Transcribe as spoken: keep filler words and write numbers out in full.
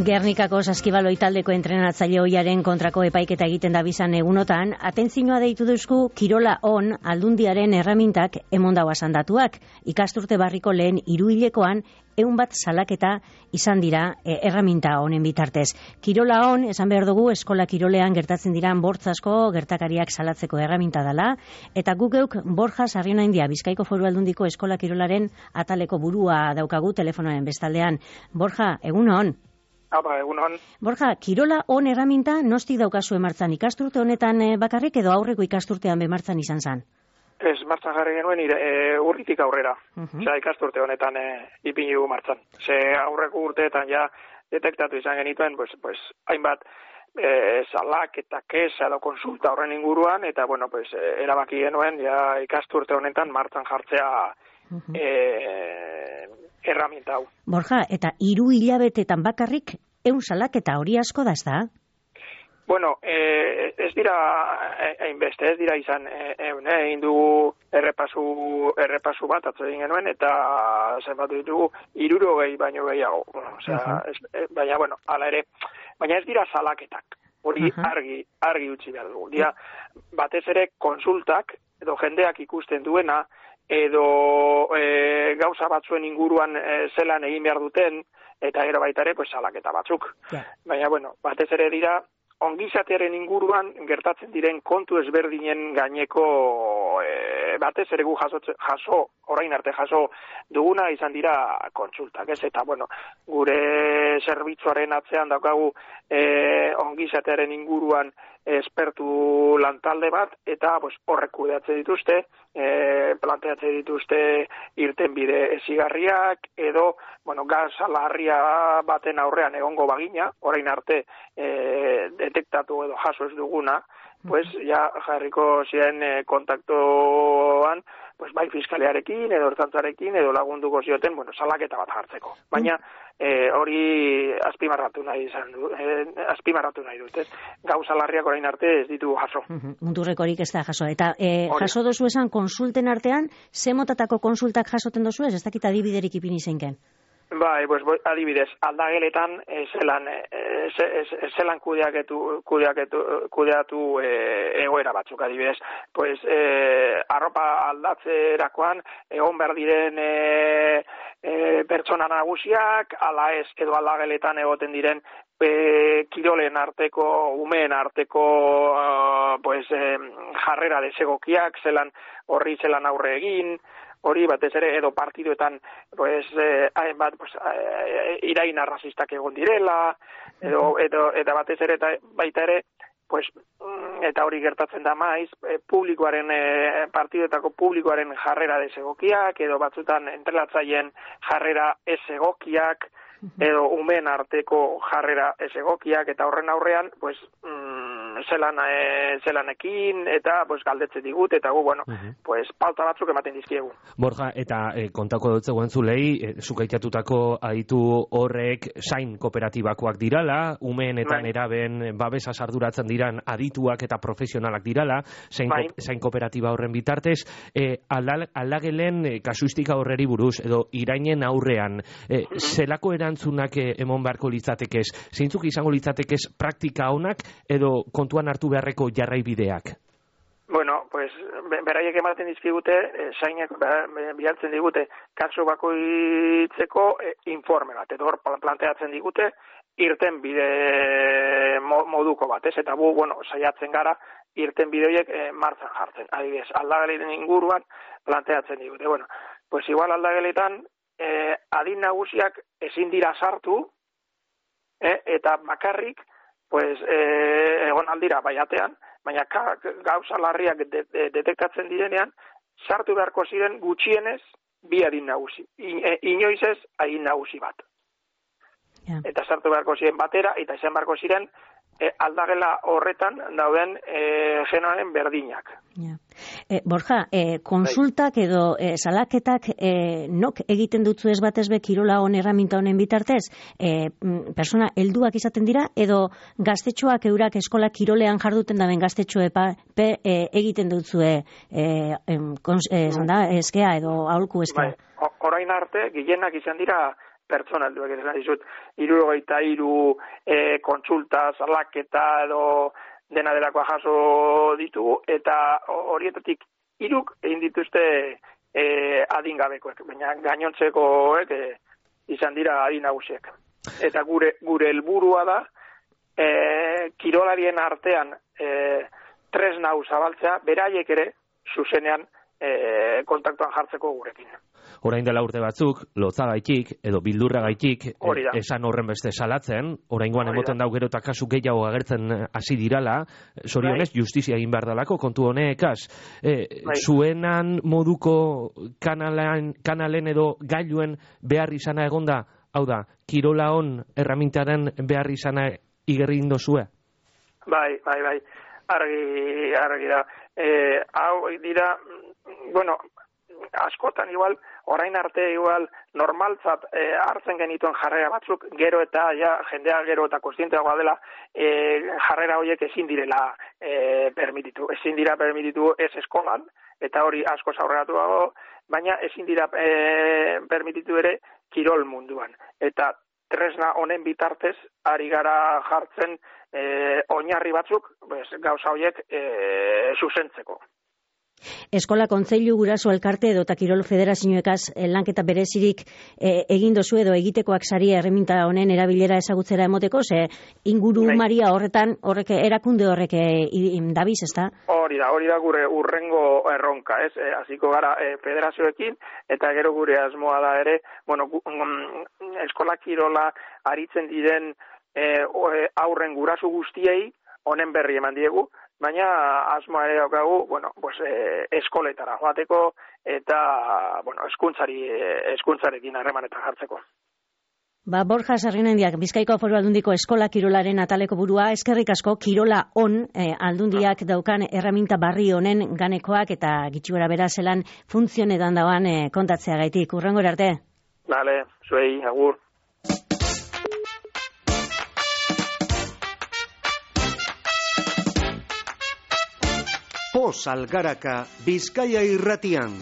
Gernikako Saskibaloia taldeko entrenatzaile ohiaren kontrako epaiketa egiten da bizan egunotan, atentzioa deitu duzku Kirola On Aldundiaren erramintak emondau asandatuak. Ikasturte barriko lehen hiruhilekoan ehun bat salaketa izan dira e, erraminta honen bitartez. Kirola On, esan behar dugu, eskola kirolean gertatzen diran bortzasko gertakariak salatzeko erraminta dela, eta guk geuk Borja Sarrionaindia, Bizkaiko Foru Aldundiko eskola kirolaren ataleko burua daukagu telefonoaren bestaldean. Borja, egun on. Apa, egunon. Borja, Kirola On erraminta nostik daukazu emartzan, ikasturte honetan bakarrik edo aurreko ikasturtean bemartzan izan zan? Ez, martzan jarri genuen ire, e, urritik aurrera. Uh-huh. Osea, ikasturte honetan e, ipini dugu martzan. Ze aurreko urteetan ja detektatu izan genituen, pues, pues, hainbat e, salak eta kesa edo konsulta horren inguruan, eta, bueno, pues, e, erabaki genuen, ja ikasturte honetan martzan jartzea uh-huh. e, erraminta hau. Borja, eta hiru hilabetetan bakarrik ehun salaketa hori asko da, ez da? Bueno, eh, ez dira hainbeste, ez dira izan ehun, eh, egin dugu errepasu errepasu bat atzo egin genuen eta zenbatu ditugu hirurogei baino gehiago. Bueno, o sea, uh-huh. es, baina bueno, hala ere, baina ez dira salaketak. Hori uh-huh. argi argi utzi behar dugu. Dira batez ere konsultak edo jendeak ikusten duena edo e, gauza batzuen inguruan e, zelan egin behar duten, eta gero baita ere, pues, salaketa batzuk. Yeah. Baina, bueno, batez ere dira, ongizatearen inguruan gertatzen diren kontu ezberdinen gaineko e, batez ere gu jaso, jaso, orain arte jaso duguna izan dira kontsultak, ez? Eta, bueno, gure zerbitzuaren atzean daukagu e, ongizatearen inguruan espertu lantalde bat, eta pues, horrek kudeatzen dituzte, e, planteatzen dituzte irtenbide ezigarriak, edo, bueno, gaza larria baten aurrean egongo bagina, orain arte e, detektatu edo jaso ez duguna, pues, ja jarriko ziren e, kontaktoan, pues, bai fiskaliarekin, edo ertzantzarekin, edo lagunduko zioten, bueno, salaketa bat jartzeko. Baina, e, hori azpimarratu nahi izan du, e, azpimarratu nahi dut, ez? Gauza larriak orain arte ez ditu jaso. Uh-huh. Munturrekorik ez da jaso. Eta e, jaso dozu esan konsulten artean, ze motatako konsultak jasoten dozu ez? Ez dakit adibiderik ipini zeinken. Bai, pues, adibidez, aldageletan e, zelan, e, ze, e, zelan kudeaketu, kudeaketu, kudeatu e, egoera batzuk, adibidez. Pues, e, arropa aldatzerakoan, egon behar diren e, e, pertsona nagusiak, ala ez, edo aldageletan egoten diren e, kirolen arteko, umeen arteko uh, pues, e, jarrera desegokiak, zelan horri zelan aurre egin, hori batez ere edo partiduetan pues eh, hainbat pues eh, irain arrazistak egon direla edo edo eta batez ere eta baita ere pues eta hori gertatzen da maiz eh, publikoaren eh, partiduetako publikoaren jarrera desegokiak edo batzutan entrenatzaileen jarrera ez egokiak edo umen arteko jarrera ez egokiak eta horren aurrean pues mm, zelan e, zelanekin eta pues galdetzen digut eta gu bueno uh-huh. pues pauta batzuk ematen dizkiegu. Borja, eta e, kontako dut zegoen zulei e, zukaitatutako aditu horrek zain kooperatibakoak dirala, umeen eta neraben babesa sarduratzen diran adituak eta profesionalak dirala, zain, ko, zain kooperatiba horren bitartez, e, aldagelen e, kasuistika horreri buruz edo irainen aurrean e, uh-huh. zelako erantzunak e, emon beharko litzatekez, zeintzuk izango litzatekez praktika honak edo kontuan hartu beharreko jarraibideak? Bueno, pues, beraiek ematen dizkigute, eh, zainek bialtzen digute, kasu bakoitzeko eh, informe bat, edo hor planteatzen digute, irten bide moduko bat, ez? Eta bu, bueno, saiatzen gara, irten bideoiek eh, martzan jartzen. Adibidez, aldageletan inguruan planteatzen digute. Bueno, pues igual aldageletan, eh, adin nagusiak ezin dira sartu, eh, eta bakarrik, pues, eh, egon aldira baiatean, baina ka, gauza larriak de, de, detektatzen direnean, sartu beharko ziren gutxienez bi adin nagusi. I, e, inoiz ez adin nagusi bat. Yeah. Eta sartu beharko ziren batera, eta izan beharko ziren e, aldagela horretan dauden e, genoaren berdinak. Yeah. E, Borja, e, konsultak edo e, salaketak e, nok egiten dutzu ez batez be Kirola On erraminta honen bitartez? E, persona helduak izaten dira edo gaztetxoak eurak eskola kirolean jarduten daben gaztetxoe pa, pe, e, egiten dutzue e, em, kons, e, zanda, eskea edo aholku eskea? Bai. Orain arte, gehienak izan dira pertsona helduak esan dizut, hirurogeita hiru e, kontsulta, salaketa edo dena delakoa jaso ditugu, eta horietatik hiruk egin dituzte e, adingabekoek, baina gainontzekoek e, izan dira adin nagusiek. Eta gure gure helburua da e, kirolarien artean e, tresna hau zabaltzea, beraiek ere zuzenean e, kontaktuan jartzeko gurekin. Orain dela urte batzuk, lotzagaitik edo bildurragaitik e, esan horren beste salatzen, oraingoan emoten dau gero eta kasu gehiago agertzen hasi dirala, zorionez justizia egin behar dalako kontu honekaz. E, zuenan moduko kanalen, kanalen edo gailuen behar izana egonda, hau da, kirola hon erramintaren behar izana igerri indozue? Bai, bai, bai, argi, argi da. E, hau dira, bueno, askotan igual, orain arte igual normaltzat e, hartzen genituen jarrera batzuk, gero eta ja, jendea gero eta kontzienteagoa dela, e, jarrera horiek ezin direla e, permititu. Ezin dira permititu ez eskolan, eta hori asko aurreratu dago, baina ezin dira e, permititu ere kirol munduan. Eta tresna honen bitartez, ari gara jartzen e, oinarri batzuk, pues, gauza horiek e, zuzentzeko. Eskola Kontseilu Guraso Elkarte edo eta Kirol Federazioekaz lanketa berezirik e, egin dozu edo egitekoak saria erreminta honen erabilera ezagutzera emoteko, ze inguru Nei. Maria horretan horrek erakunde horrek e, dabiz, ezta? Hori da, hori da gure urrengo erronka, ez? E, hasiko gara e, federazioekin, eta gero gure asmoa da ere, bueno, gu, mm, eskola kirola aritzen diren e, aurren guraso guztiei honen berri eman diegu, baina asmoa ere daukagu, bueno, pues, eh, eskoletara joateko eta, bueno, eskuntzari, eskuntzarekin harremanetan jartzeko. Ba, Borja Sarrinendiak, Bizkaiko Foru Aldundiko Eskola Kirolaren ataleko burua, eskerrik asko kirola on eh, aldundiak daukan erraminta barri honen ganekoak eta gitxuera bera zelan funtzionetan dauan eh, kontatzea gaitik. Urrengo arte. Vale, zuei, agur. Poz Algaraka, Bizkaia irratian.